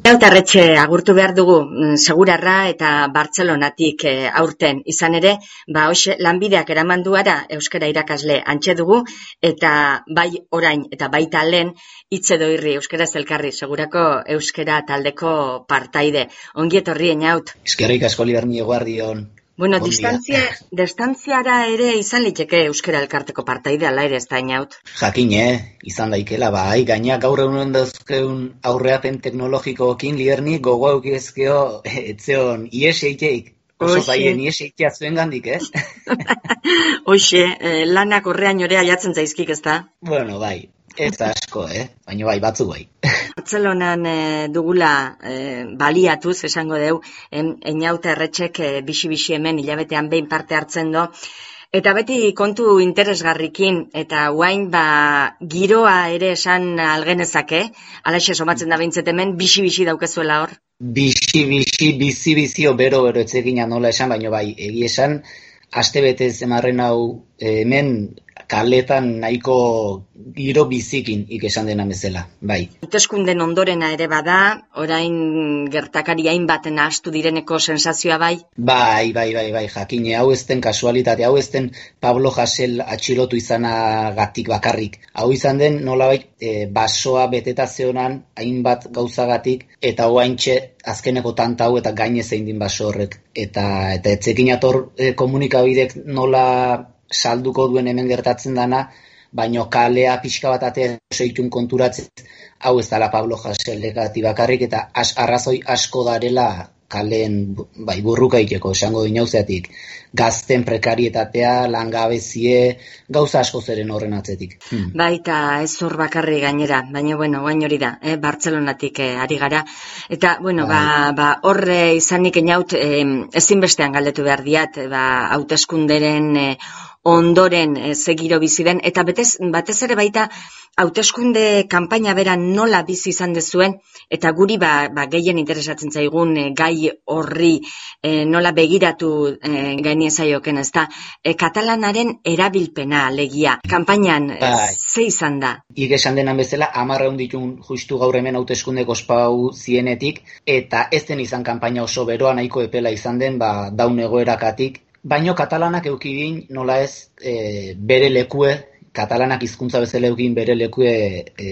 Lautarretxe agurtu behar dugu Segurarra eta Bartzelonatik aurten. Izan ere, hoxe lanbideak eraman duara euskara irakasle antxe dugu, eta bai orain eta baita lehen hitz edo irri euskaraz elkarri Segurako euskara taldeko partaide. Ongi etorri Eñaut. Eskerrik asko Liberni, eguerdion. Bueno, distantziara ere izan liteke euskara elkarteko partaide, ala ere ez da Eñaut? Jakine, izan daikela, bai, gaina gaur egunen dauzkeun aurreapen teknologikoekin Liberni gogo eukizkeo etzeon IES-eiteik. Oso zaien IES-eitea zuen gandik, Hoxe, lanak horrean jorea jatzen zaizkik, ez da? Bueno, bai, ez asko, baina bai, batzu bai. Bartzelonan dugula baliatuz, esango deu, Eñaut Erretxek bixi-bixi hemen hilabetean behin parte hartzen do, eta beti kontu interesgarrikin, eta guain giroa ere esan algenezake, alaxe somatzen da behintzet hemen, bixi-bixi daukezuela hor? Bixi-bixi, bizi-bizio bero etzegina nola esan, baina bai, egi esan, astebete zemarren hau hemen kaletan nahiko giro bizikin ikesan dena bezala, bai. Hauteskunden ondorena ere bada, orain gertakari hainbaten ahastu direneko sensazioa bai? Bai, jakine, hau ezten kasualitate, hau ezten Pablo Hasél atxilotu izanagatik bakarrik. Hau izan den nolabait basoa beteta zeonan hainbat gauzagatik, eta oaintxe azkeneko tanta hau eta gaine zein din baso horrek. Eta etzekin ator komunikabidek nola salduko duen hemen gertatzen dana, baino kalea pixka bat atea soitun konturatzen, hau ez dala Pablo Hasél bakarrik, eta arrazoi asko darela kaleen burruka iteko, esango dinauzeatik. Gazten prekarietatea, langabezie, gauza asko zeren horren atzetik. Baita ez hor bakarri gainera, baina guain hori da, Bartzelonatik ari gara. Eta, horre izanik Eñaut ezinbestean galdetu behar diat, hauteskunderen ondoren zegiro bizi den, eta batez ere baita hauteskunde kanpaina bera nola bizi izan dezuen, eta guri gehien interesatzen zaigun gai horri nola begiratu gainizaioken, ez da, katalanaren erabilpena alegia. Kanpainan ze izan da? Esan denan bezala, 10 ditun justu gaur hemen hauteskundeko ospau zienetik, eta ez den izan kanpaina oso beroa nahiko epela izan den, daun egoerakatik, baino katalanak eukidin nola ez bere lekue, katalanak hizkuntza bezala eukidin bere lekue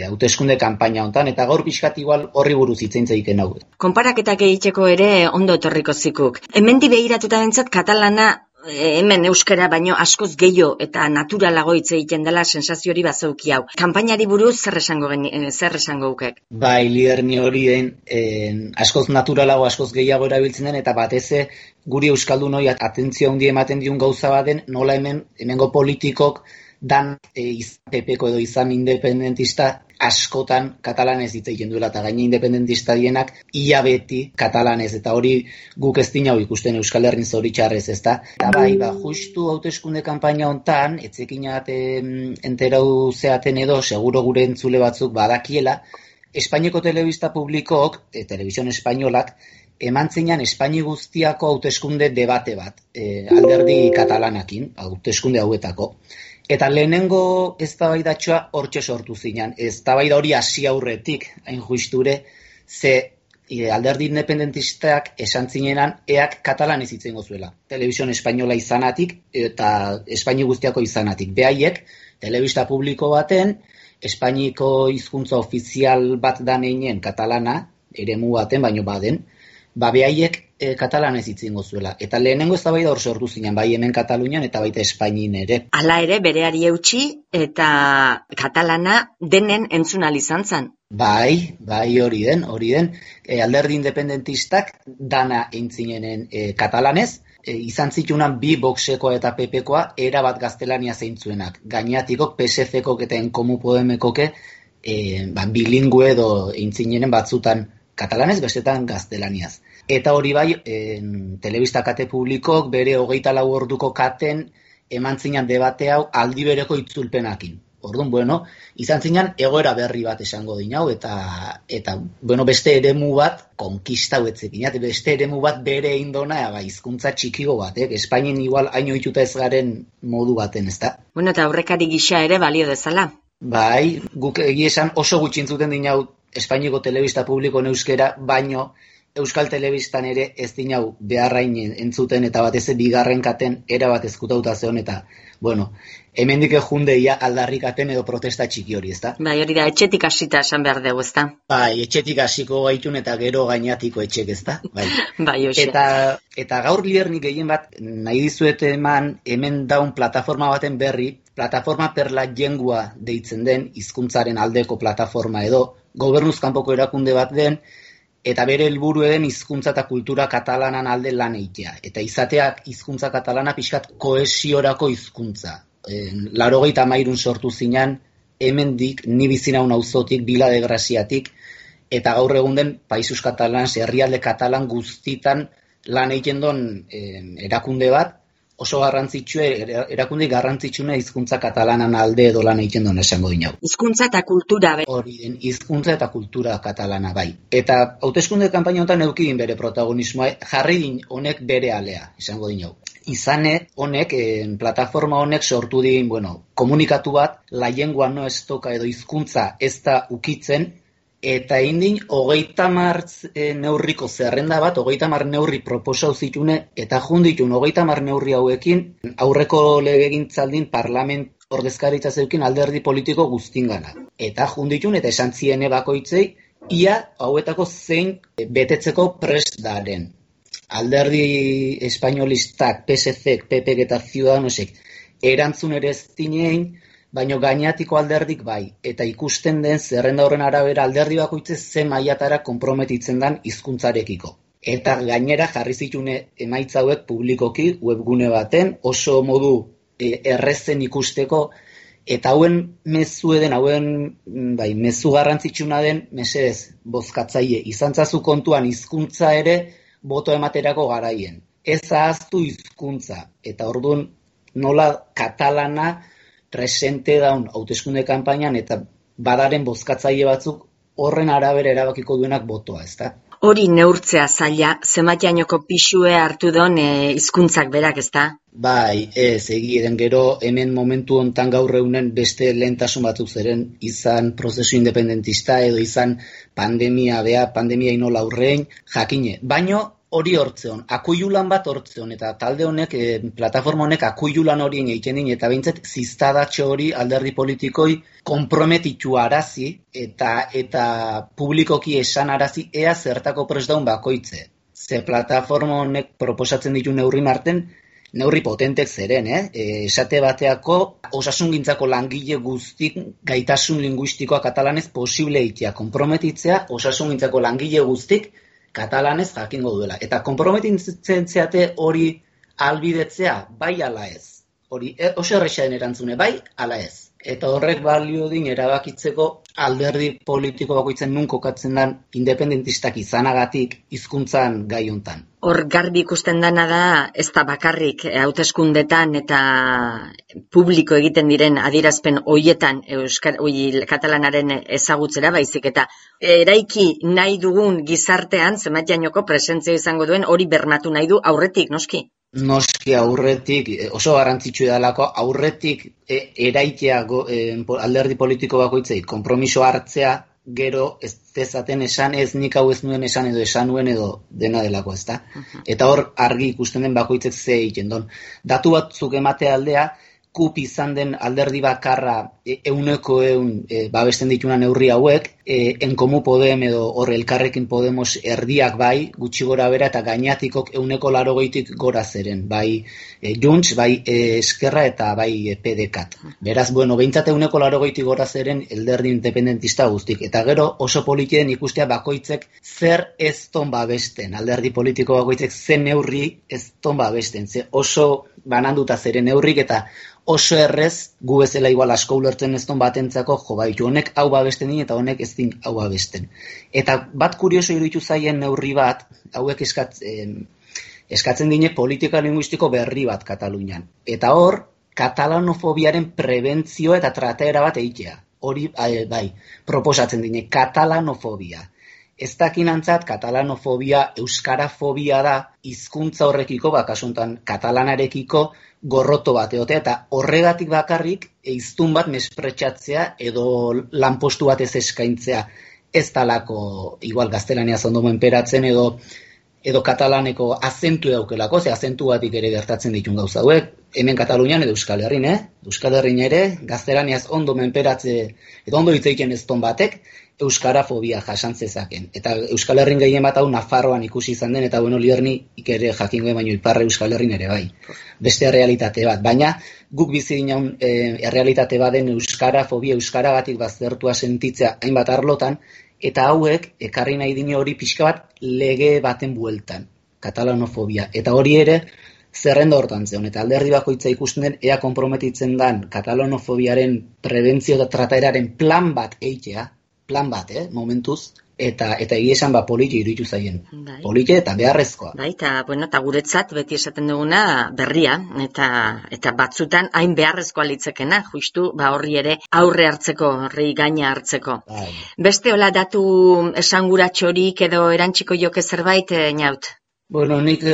hauteskunde kanpaina hontan, eta gaur pixkat igual horri buruz hitzein zeiken hau. Konparaketak egiteko ere ondo etorriko zikuk. Hemendi behiratuta bentzat katalana hemen euskara baino askoz gehiago eta naturalago hitz egiten dela sensazio hori bazeuki hau. Kanpainari buruz zer esango ukek? Bai, Liberni hori den askoz naturalago, askoz gehiago erabiltzen den, eta bateze guri euskaldun hori atentzio handi ematen diun gauza baden, nola hemengo politikok dan izan pepeko edo izan independentista askotan katalanez hitz egiten duela, eta gaine independentista dienak ia beti katalanez, eta hori guk ez dinau ikusten Euskal Herrin zoritxarrez, ez da? Eta justu hauteskunde kanpaina hontan, etzekinat enterau zeaten edo, seguro gure entzule batzuk badakiela, Espainiako telebista publikook, telebizion espainolak, eman zeinan Espaini guztiako hauteskunde debate bat, alderdi katalanakin, hauteskunde hauetako. Eta lehenengo eztabaidatxoa hortxe sortu zinan. Eztabaida hori hasi aurretik, hain justure, ze alderdi independentistak esan zinenan eak katalanez hitz egingo zuela. Telebizion espainola izanatik eta Espaini guztiako izanatik. Behaiek, telebista publiko baten, Espainiko hizkuntza ofizial bat da neinen katalana, eremu baten, baino baden, behaiek katalanez hitz egingo zuela. Eta lehenengo eztabaida hor sortu zinan, bai hemen Katalunian eta baita Espainin ere. Hala ere, bereari eutsi eta katalana denen entzunal izan zen. Bai, hori den. Alderdi independentistak dana eintzinen katalanez, izan zitunan bi Voxekoa eta PPkoa erabat gaztelania zeintzuenak. Gainatikok, PSC-kok eta Enkomu Podemekoke bilingue edo eintzinen batzutan katalanez, bestetan gaztelaniaz. Eta hori bai, telebista kate publikok bere 24 orduko katen eman zinan debate hau aldi bereko itzulpenakin. Orduan, izan zinan egoera berri bat esango dinau, eta beste eremu bat, konkistau etzekin, beste eremu bat bere indona, hizkuntza txikigo bat, Espainin igual haino ituta ez garen modu baten, ez da? Eta aurrekari gisa ere balio dezala. Bai, guk egia esan oso gutxi entzuten dinau Espainiako telebista publikoen euskera, baino Euskal Telebistan ere ez dinau beharrain entzuten eta batez bigarren katen erabat ezkutauta zeon eta, bueno, hemendik jundeia aldarrikaten edo protesta txiki hori, ezta? Bai, hori da, etxetik hasita esan behar dugu, ezta? Bai, etxetik hasiko gaitun eta gero gainatiko etxek, ezta? Bai. Bai, hoxe. Eta gaur liernik gehien bat nahi dizuet eman hemen daun plataforma baten berri, plataforma per la llengua deitzen den hizkuntzaren aldeko plataforma edo gobernuz kanpoko erakunde bat den, eta bere helburu den hizkuntza eta kultura katalanan alde lan egitea. Eta izateak hizkuntza katalana pixkat kohesiorako hizkuntza. 93 sortu zinan, hemendik, ni bizi naun auzotik, Vila de Graziatik, eta gaur egun den Països Catalans, herrialde katalan guztitan lan egiten don erakunde bat, oso garrantzitsua, erakunde garrantzitsuna hizkuntza katalanan alde edo lan egiten duen esango dinau. Hizkuntza eta kultura. Hori den, hizkuntza eta kultura katalana bai. Eta hauteskunde kanpaina honetan eukidin bere protagonismoa, jarri din honek bere alea, esango dinau. Izane honek, plataforma honek sortu din, komunikatu bat, la lengua no ez toka edo hizkuntza ez da ukitzen, eta indin 30 neurriko zerrenda bat, 30 neurri proposau zitune, eta junditun 30 neurri hauekin, aurreko legegintzaldin parlament ordezkaritza zeukin alderdi politiko guztingana. Eta junditun eta esan ziene bakoitzei, ia hauetako zein betetzeko prest daren. Alderdi espainolistak, PSC, PP eta Ciudadanosek erantzun ere ez dinein, baina gainatiko alderdik bai, eta ikusten den zerrenda horren arabera alderdi bakoitze ze mailatara konprometitzen den hizkuntzarekiko. Eta gainera jarri zitune emaitza hauek publikoki webgune baten, oso modu errezen ikusteko, eta hauen mezu eden, mezu garrantzitsuna den, mesedez, bozkatzaile, izantzazu kontuan hizkuntza ere boto ematerako garaien. Ez ahaztu hizkuntza, eta orduan nola katalana presente daun hauteskunde kanpainan eta badaren bozkatzaile batzuk horren arabera erabakiko duenak botoa, ezta? Hori neurtzea zaila, zenbakiainoko pixue hartu don hizkuntzak berak, ezta? Bai, ez, egiren gero hemen momentu hontan gaur egunen beste lehentasun batzuk zeren izan prozesu independentista edo izan pandemia inola aurrein, jakine. Baino hori hortzeon, akuilulan bat hortzeon, eta talde honek, plataforma honek akuilulan horien egiten din, eta behintzat ziztadatxo hori alderdi politikoi konprometitu arazi, eta publikoki esan arazi ea zertako prest daun bakoitze. Ze plataforma honek proposatzen ditu neurri marten, neurri potentek zeren, esate bateako osasungintzako langile guztik gaitasun linguistikoa katalanez posible egitea, konprometitzea osasungintzako langile guztik katalanez jakingo duela. Eta konprometitzen zeate hori albidetzea, bai ala ez. Hori oso errexaren erantzune, bai ala ez. Eta horrek balio din erabakitzeko alderdi politiko bakoitzen nun kokatzen den independentistak izanagatik hizkuntzan gai hontan. Hor garbi ikusten dana da, ez da bakarrik hauteskundetan eta publiko egiten diren adierazpen hoietan katalanaren ezagutzera baizik eta eraiki nahi dugun gizartean zenbakiainoko presentzia izango duen hori bermatu nahi du aurretik, noski? Noski aurretik, oso garrantzitsu edalako, aurretik eraitea alderdi politiko bakoitzei, konpromiso hartzea, gero ez dezaten esan ez nik hau ez nuen esan edo esan nuen edo dena delako, ezta? Eta hor argi ikusten den bakoitzek ze egiten don. Datu batzuk emate aldea, KUP izan den alderdi bakarra 100% babesten dituna neurri hauek, En Komu Podem edo hor Elkarrekin Podemos erdiak bai, gutxi gora bera eta gainatikok 180tik gora zeren, bai Junts, bai Eskerra eta bai PDeCAT. Beraz, behintzat 180tik gora zeren alderdi independentista guztik. Eta gero oso politien ikustea bakoitzek zer ez ton babesten, alderdi politiko bakoitzek zen neurri ez ton babesten, ze oso bananduta zeren neurrik eta oso errez, gu bezala igual asko ulertzen ez don batentzako, baitu honek hau babesten din eta honek ez din hau babesten. Eta bat kurioso iruditu zaien neurri bat, hauek eskatzen dine politika linguistiko berri bat Katalunian. Eta hor, katalanofobiaren prebentzio eta trataera bat egitea. Hori, bai, proposatzen dine, katalanofobia. Ez dakinantzat, katalanofobia, euskarafobia da, hizkuntza horrekiko, kasuntan katalanarekiko, gorroto bat egotea, eta horregatik bakarrik hiztun bat mespretxatzea edo lanpostu bat ez eskaintzea. ez talako igual gaztelaniaz ondo menperatzen edo katalaneko azentu daukelako, ze azentu batik ere gertatzen ditun gauza hauek, hemen Katalunian edo Euskal Herrin, Euskal Herrin ere, gaztelaniaz ondo menperatze, edo ondo hitz egiten ez ton batek, euskarafobia jasan zezaken. Eta Euskal Herrin gehien bat hau Nafarroan ikusi izan den, eta bueno, Liernik ere jakingo baino iparre Euskal Herrin ere bai. Beste errealitate bat, baina guk bizi ginen errealitate baden euskarafobia, euskaragatik baztertua sentitzea hainbat arlotan, eta hauek ekarri nahi dine hori pixka bat lege baten bueltan, katalanofobia. Eta hori ere zerrenda hortan zeon, eta alderdi bakoitza ikusten den ea konprometitzen dan katalanofobiaren prebentzio eta trataeraren plan bat eitea, plan bat, momentuz, eta egia esan poliki iruditu zaien. Bai. Poliki eta beharrezkoa. Bai, eta guretzat beti esaten duguna berria, eta batzutan hain beharrezkoa litzekena, justu horri ere aurre hartzeko, horri gaina hartzeko. Bai. Beste hola datu esanguratxorik edo erantziko joke zerbait, Naut? Bueno, nik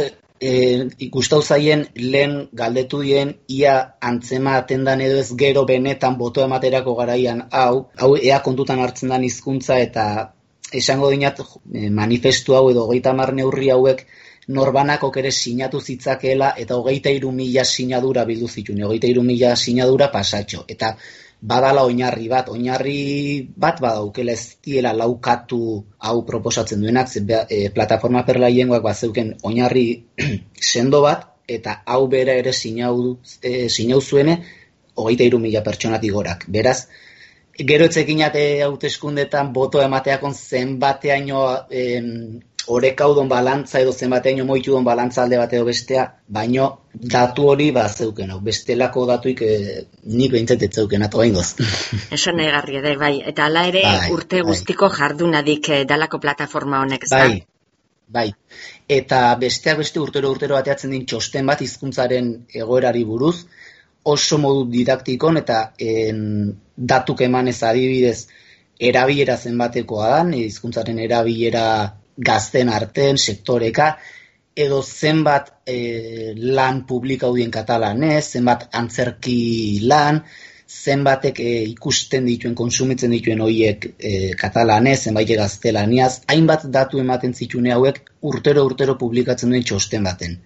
ikustau zaien lehen galdetu dien ia antzema atendan edo ez gero benetan boto ematerako garaian hau ea kontutan hartzen dan hizkuntza eta esango dinat manifestu hau edo 30 neurri hauek norbanakok ere sinatu zitzakeela eta 23.000 sinadura bildu zituen, 23.000 sinadura pasatxo. Eta badala oinarri bat badaukela ez diela laukatu hau proposatzen duenak, plataforma perlaiengoak bazeuken oinarri sendo bat, eta hau bera ere sinau zuene 23.000 pertsonatik gorak. Beraz, gero etzekinate hauteskundetan boto emateakon zenbateaino orekaudon balantza edo zenbateaino moitudon balantza alde bat edo bestea, baino datu hori bazeuken, bestelako datuik nik behintzat ez zeuken ato behingoz. Esan negarri ere, bai, eta hala ere urte guztiko jardunadik dalako plataforma honek, ez da? Bai, eta besteak beste urtero bateatzen din txosten bat hizkuntzaren egoerari buruz, oso modu didaktikon eta datuk emanez adibidez erabilera zenbatekoa dan, hizkuntzaren erabilera gazten arten, sektoreka, edo zenbat lan publikau dien katalanez, zenbat antzerki lan, zenbatek ikusten dituen, konsumitzen dituen horiek katalanez, zenbait gaztelaniaz, hainbat datu ematen zitune hauek urtero publikatzen duen txosten baten.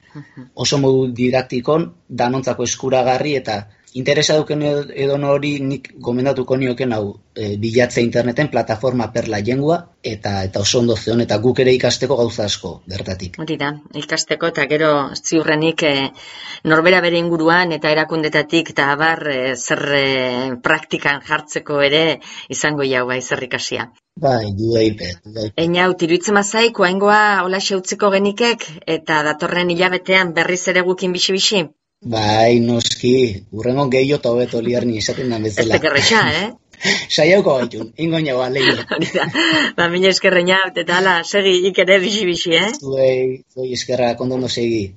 Oso modu didaktikon, danontzako eskuragarri eta interesa duken edo hori nik gomendatuko nioken hau bilatzea interneten plataforma perla jengua eta oso ondo zeon eta guk ere ikasteko gauza asko bertatik. Hori da, ikasteko eta gero ziurrenik norbera bere inguruan eta erakundetatik eta abar zer praktikan jartzeko ere izango jau bai zer ikasia. Bai, duaipet. Einaut, iruditzen mazaik, oaingoa hola xeutziko genikek eta datorren hilabetean berriz ere gukin bixi-bixi? Bai, noski, urrengon gehiago eta hobeto Lierni esaten da bezala. Ez tekerretxa, Saiauko gaitun, ingoin jagoa, lehi. Mila eskerreina, eta hala, segi ikere bixi-bixi, Zuei eskerra, kondondo segi.